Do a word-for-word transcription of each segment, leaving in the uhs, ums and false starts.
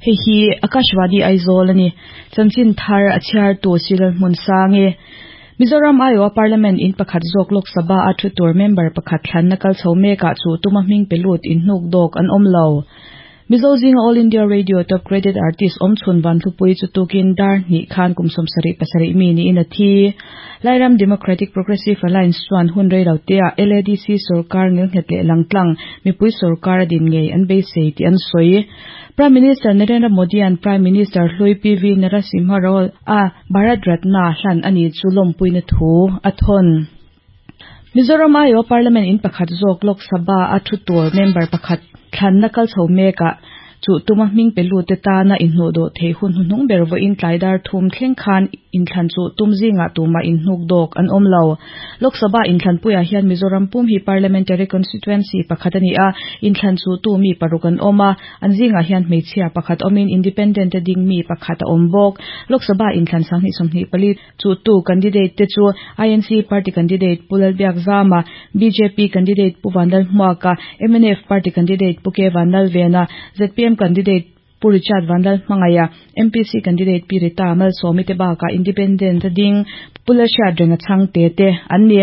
Hei hi Akashvani Aizawl ani. Chanchin thar a chhiar tu Silal hmun sangi. Mizoram aiawha Parliament in pakhat zawk Lok Sabha a thu tur member pakhat thlanna kal chho mekah chu tuma hming pe lut in hnuk dawk an awm lo. Mizo zinga All India Radio Top Graded Artist awm chhun Vanhlupui chu tukin dar hnih khan kum sawmsarih pasarih mi niin a thi. Lairam Democratic Progressive Alliance chuan hun rei lo te ah L A D C sorkar ngilnghet leh langtlang mipui sorkar a din ngei an beisei tih an sawi. Prime Minister Narendra Modi an Prime Minister hlui P V Narasimha Rao a Bharat Ratna hlan ani chu lawmpuina thu a thawn. Mizoram aiawha Parliament in pakhat zawk Lok Sabha a thu tur member pakhat thlanna kal chho mekah chu tuma hming pe lut te tana inhnuh dawh thei hun hnuhnung ber vawiin tlai dar thum thleng khan inthlan chu tum zingah tumah inhnuk dawk an awm lo. Lok Sabha inthlanpuiah hian Mizoram pum hi parliamentary constituency pakhat ani a, inthlan chu tu mi paruk an awm a, an zingah hian hmeichhia pakhat awmin independent te ding mi pakhat a awm bawk. Lok Sabha inthlan sanghnih sawmhnih pali chu tu candidate te chu I N C party candidate Pu Lalbiak Zama, B J P candidate Pu Vanlal Hmuaka, M N F party candidate Pu K Vanlalvena, Z P M candidate Pu Richard Vanlal Hmangaya, M P C candidate Pi Rita Malsawmi te bakah independent ding Pu Lalhriat renga chhang te te an ni.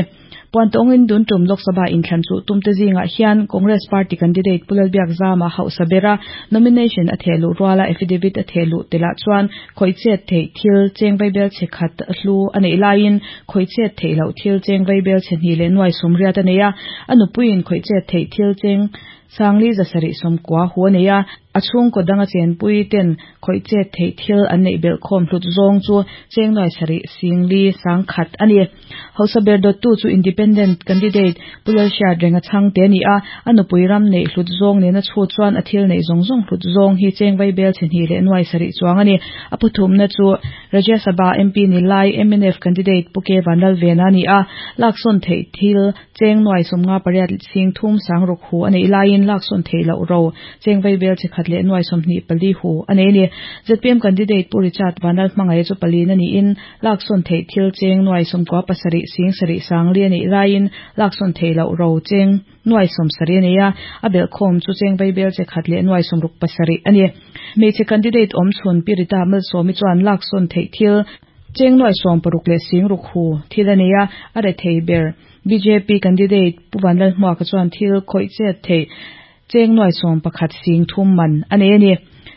Puan tawngin dun tum Lok Sabha inthlan chu tum te zingah hian Congress party candidate Pu Lalbiak Zama hausa bera nomination a thehluh ruala affidavit a thehluh telah chuan khawihchet theih thil cheng vaibel che khat hlu a neih laiin khawihchet theih loh thil cheng vaibel che hnih leh nuai sawmriat a nei a, a nupuiin khawihchet theih thil cheng sangli zasarih sawmkua hu a nei a, a chhungkaw danga chenpui ten khawihchet theih thil an neih belh khawm hlut zawng chu cheng nuai sarih singli sang khat ani. Hausa ber dawt tu chu independent candidate Pu Lalhriat renga chhang te ani a, a nupui ram neih hlut zawng nena chhu chuan a thil neih zawng zawng hlut zawng hi cheng vaibel che hnih leh nuai sarih chuang ani. A pathumna chu Rajya Sabha M P ni lai M N F candidate Pu K Vanlalvena ani a, laksawn theih thil cheng nuai sawmnga pariat sing thum sang ruk hu a neih laiin laksawn theih loh ro cheng vaibel che khat leh nuai sawmhnih pali hu a nei ni. Z P M candidate Pu Richard Vanlal Hmangaya chu palin ani in laksawn theih thil cheng nuai sawmkua pasarih sing sarih sangli a neih laiin laksawn theih loh ro cheng nuai sawmsarih a nei a, a belh khawm chu cheng vaibel che khat leh nuai sawmruk pasarih ani. Hmeichhe candidate awm chhun Pi Rita Malsawmi chuan laksawn theih thil cheng nuai sawm paruk leh sing ruk hu thil a nei a, a re thei ber B J P candidate Pu Vanlal Hmuaka chuan thil khawihchet theih cheng nuai sawm pakhat sing thum man a nei ani.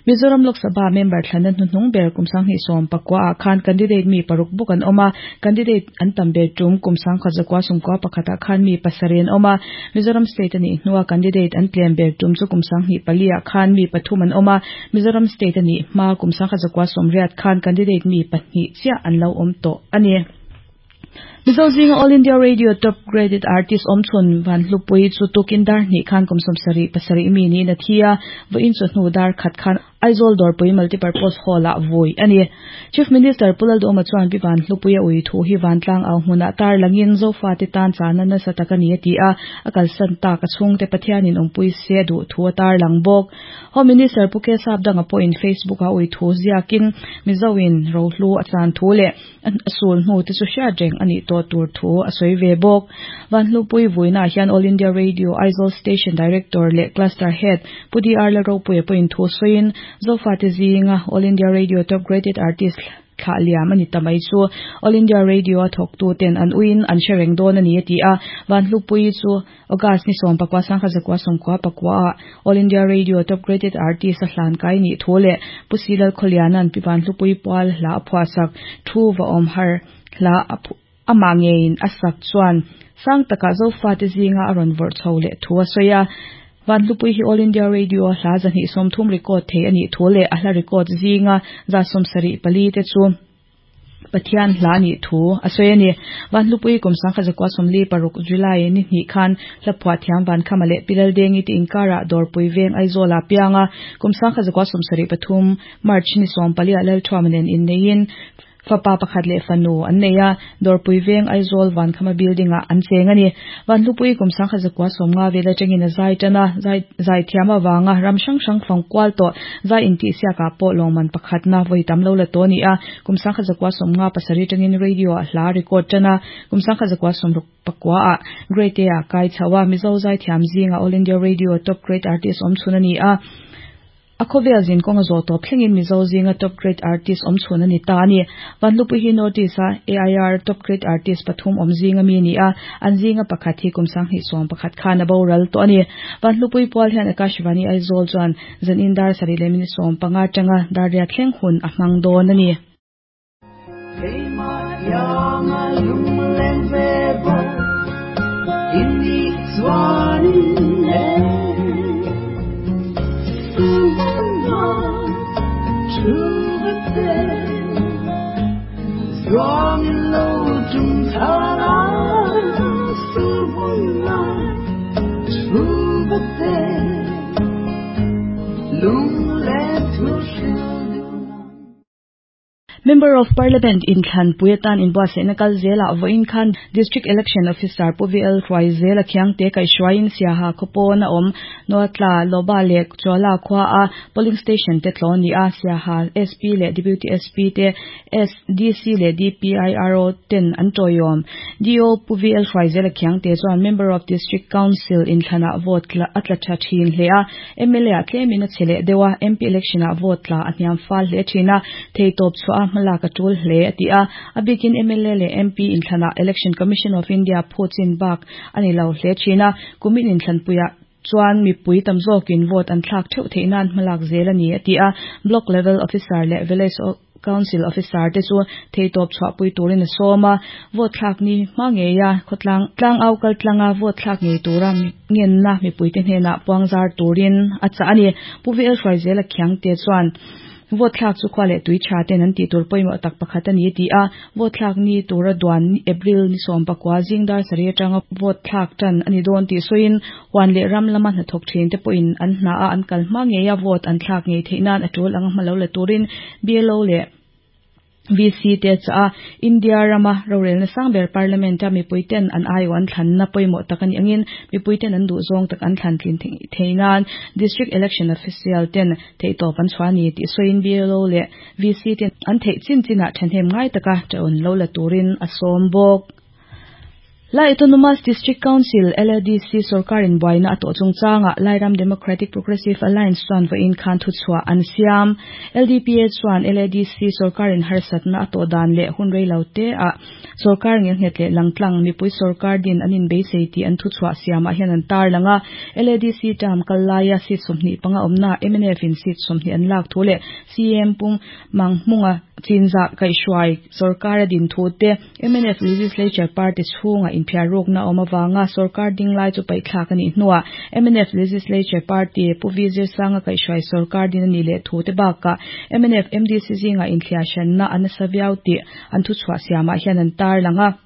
Mizoram Lok Sabha member thlanna hnuhnung ber kum sanghnih sawm pakua ah khan candidate mi paruk bawk an awm a, candidate an tam ber tum kum sangkhat zakua sawmkua pakhatah khan mi pasarih an awm a, Mizoram state anih hnuah candidate an tlem ber tum chu kum sanghnih pali ah khan mi pathum an awm a, Mizoram state anih hma kum sangkhat zakua sawmriat khan candidate mi pahnih chiah an lo awm tawh ani. Mizo zinga All India Radio Top Graded Artist awm chhun Vanhlupui chu tukin dar hnih khan kum sawmsarih pasarih mi niin a thi a, vawiin chu hnu dar khat khan Aizawl Dawrpui Multipurpose Hall ah vui ani. Chief Minister Pu Lalduhoma chuan Pi Vanhlupui a ui thu hi Vantlang au hmunah tar langin Zofa te tan chana nasa tak ani a ti a, a kalsan tak a chhungte Pathianin awmpui se duh thu a tar lang bawk. Home Minister Pu K Sap danga pawhin Facebook a ui thu ziakin Mizoin rohlu a chan thu leh a sul hnu te chu hriat reng ani tawh tur thu a sawi ve bawk. Vanhlupui vuina hian All India Radio Aizawl Station Director leh Cluster Head Pu D R Lalropuia pawhin thu sawiin Zofa te zinga All India Radio Top Graded Artist thlah liam ani tamai chu All India Radio a thawk tu ten an uin an hre reng dawn ani a ti a. Vanhlupui chu August ni sawm pakua sangkhat zakua sawmkua pakua ah All India Radio Top Graded Artist a hlan kai ni thu leh Pu Silal Khawliana'n Pi Vanhlupui pual hla a phuahsak thu va awm har hla amah ngeiin a sak chuan sang takah Zofa te zinga a rawn vawrh chho leh thu a sawi a. Vanhlupui hi All India Radio hla zahnih sawmthum record thei ani thu leh a hla record zinga za sawmsarih pali te chu Pathian hla ni thu a sawi ani. Vanhlupui kum sangkhat zakua sawmli paruk July ni hnih khan hla phuah thiam Vankhama leh Pi Laldengi te inkarah Dawrpui veng Aizawl ah pianga kum sangkhat zakua sawmsarih pathum March ni sawm pali ah Lalthuama nen inneiin fapa pakhat leh fanu an nei a, Dawrpui veng Aizawl Vankhama building ah an cheng ani. Vanhlupui kum sangkhat zakua sawmnga vel atangin a zai tana zai zai thiam awanga ram hrang hrang fang kual tawh zai intih siakah pawh lawngman pakhatna vawi tam lo la tawh ani a, kum sangkhat zakua sawmnga pasarih atangin radio ah hla record tana kum sangkhat zakua sawmruk pakua ah Grade A ah kai chho a, Mizo zai thiam zinga All India Radio Top Grade Artist awm chhun ani a. A khawvel zin kawnga zawh tawp thlengin Mizo zinga top grade artist awm chhun a ni ta a ni. Vanhlupuii hi North East-a A I R top grade artist pathum awm zinga mi a ni a, an zinga pakhat hi kum sanghnih sawm pakhat khan a boral tawh a ni. Vanhlupuii pual hian Akashvani Aizawl chuan zanin dar sarih leh minute sawm panga atanga dar riat thleng hun a hmang dawn a ni. Member of Parliament inthlanpui atan inbuatsaihna kal zelah vawiin khan District Election Officer Pu V L Hruaizela Khiangte kaihhruaiin Siaha khawpawn a awm Nuatla, Loba leh Chuala khua a polling station te tlawn ni a, Siaha S P leh Deputy S P te S D C leh D P I R O ten an tawiawm. D O Pu V L Hruaizela Khiangte chuan Member of District Council inthlanah vote a tla tha thin hle a, M L A ah tlemin a che leh deuh a, M P election ah vote tla a hniam fal hle thin a, theitawp chhuah a hmalak a tul hle a ti a. A bikin M L A leh M P inthlanah Election Commission of India phuchin bak ani lo hle thin a, kumin inthlanpuiah chuan mipui tam zawkin vote an thlak theuh theih nan hmalak zel a ni a ti a. Block level officer leh village council officer te chu theitawp chhuahpui turin a sawm a, vote thlak ni hma ngeia khawtlang tlang au kal tlanga vote thlak ngei tura ngenna mipui te hnenah puangzar turin a chah a ni. Pu V L Hruaizela Khiangte chuan vote thlak chu khua leh tui tha ten an tih tur pawimawh tak pakhat a ni a ti a, vote thlak ni tura duan April ni sawm pakua zing dar sarih atanga vote thlak tan a ni dawn tih sawiin huan leh ram lama hnathawk thin te pawhin an hna a an kal hma ngeia vote an thlak ngei theih nan a tul anga hma lo la turin B L O leh V C te chah a. India rama rorelna sangber Parliament a mipui ten an aiawh an thlanna pawimawh tak ani angin mipui ten an duh zawng tak an thlan tlin theih nan District Election Official ten theihtawp an chhuah a ni tih sawiin B L O leh V C ten an theih chin chinah thahnem ngai taka ṭawn lo la turin a sawm bawk. Lai Autonomous District Council L A D C sorkarin buaina a tawh chungchanga Lairam Democratic Progressive Alliance chuan vawiin khan thuchhuah an siam. L D P A chuan L A D C sorkarin harsatna a tawh dan leh hun rei lo te ah sorkar ngelnghet leh langtlang mipui sorkar din an inbeisei tih an thuchhuah siamah hian an tar lang a. L A D C term kal laia seat sawmhnih panga awmna M N F in seat sawmhnih an lak thu leh C M Pu Manghmunga chinzah kaihhruai sorkar a din thu te, M N F Legislature Party chhunga inphiar rukna awm awanga sorkar ding lai chu paihthlak anih hnuah M N F Legislature Party Pu V Zirsanga kaihhruai sorkar din ani leh thu te bakah M N F M D C zinga inthliah hranna a nasa viau tih an thuchhuah siamah hian an tar lang a.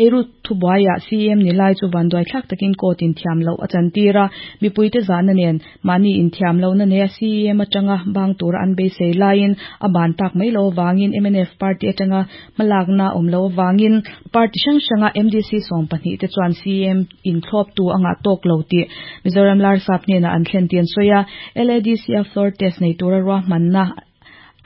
Eiru thubuaiah C M ni lai chu vanduai thlak takin court in thiam loh a chantir a, mipui te zahna nen mahni inthiam lohna nei a C M atanga bang tura an beisei laiin a ban tak mai lo awangin M N F party atanga hmalakna awm lo awangin party hrang hranga M D C sawm pahnih te chuan C M inthlawp tu anga tawk lo tih Mizoram Larsap hnenah an thlen tih an sawi a. L A D C a floor test nei tura ruahmanna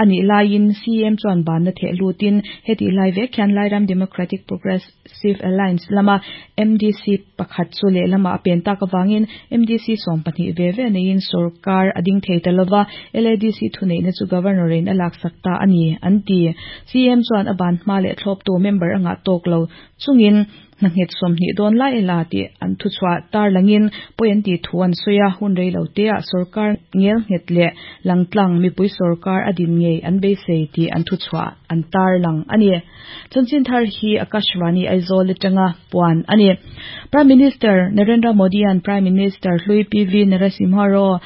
anih laiin C M chuan banna theh lutin heti lai vek hian Lairam Democratic Progressive Alliance lama M D C pakhat chu lehlamah a pen tak awangin M D C sawm pahnih ve ve neiin sorkar a ding thei ta lova, L A D C thuneihna chu governor in a laksak ta a ni an ti. C M chuan a ban hma leh thlawptu member anga tawk lo chungin hnanghet sawmhnih dawn lai la tih an thuchhuah tar langin pawi an tih thu an sawi a, hun rei lo te ah sorkar ngelnghet leh langtlang mipui sorkar a din ngei an beisei tih an thuchhuah an tar lang a ni. Chanchin thar hi Akashvani Aizawl atanga puan a ni. Prime Minister Narendra Modi an Prime Minister hlui P V Narasimha Rao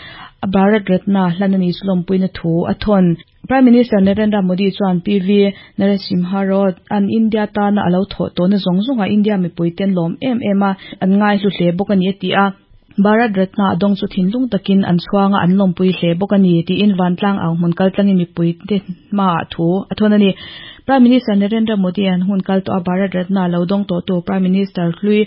a Bharat Ratna hlan ani chu lawmpuina thu a thawn. Prime Minister Narendra Modi chuan P V Narasimha Rao an India tana alo thawh tawhna zawng zawnga India mipui ten lawm em em a an ngai hlu hle bawk a ni a ti a. Bharat Ratna a dawng chu thinlung takin an chhuanga an lawmpui hle bawk a ni tiin vantlang ang hmun kal tlangin mipui te hmaah thu a thawn a ni. Prime Minister Narendra Modi an hun kal tawh a Bharat Ratna lo dawng tawh tu Prime Minister hlui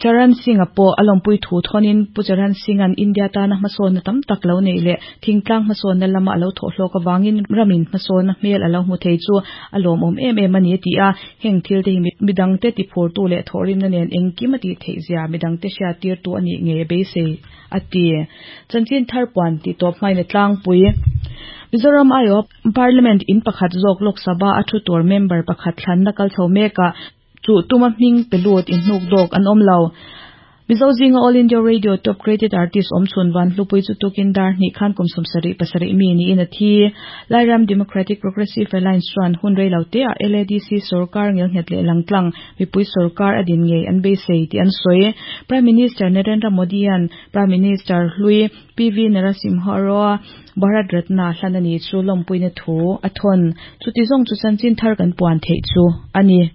Charan Singh-a pawh a lawmpui thu thawnin Pu Charan Singh-a'n India tana hmasawnna tam tak lo neih leh thingtlang hmasawnna lama a lo thawh hlawk avangin ramin hmasawnna hmel a lo hmu thei chu a lawmawm em em a ni a ti a. Heng thil te hi midangte tiphurtu leh thawhrimna nen engkim a tih theih zia midangte hriattirtu a nih ngei a beisei a ti. Chanchin thar puan tih tawp hmain a tlangpui. Mizoram aiawh Parliament in pakhat zawk Lok Sabha a thu tur member pakhat thlanna kal chho mekah chu tuma hming pe lut inhnuk dawk an awm lo. Mizo zinga All India Radio Top Graded Artist awm chhun Vanhlupui chu tukin dar hnih khan kum sawmsarih pasarih mi niin a thi. Lairam Democratic Progressive Alliance chuan hun rei lo te ah L A D C sorkar ngelnghet leh langtlang mipui sorkar a din ngei an beisei tih an sawi. Prime Minister Narendra Modi-a'n Prime Minister hlui P V Narasimha Rao Bharat Ratna hlan a ni chu lawmpuina thu a thawn. Chuti zawng chu chanchin thar kan puan theih chu a ni.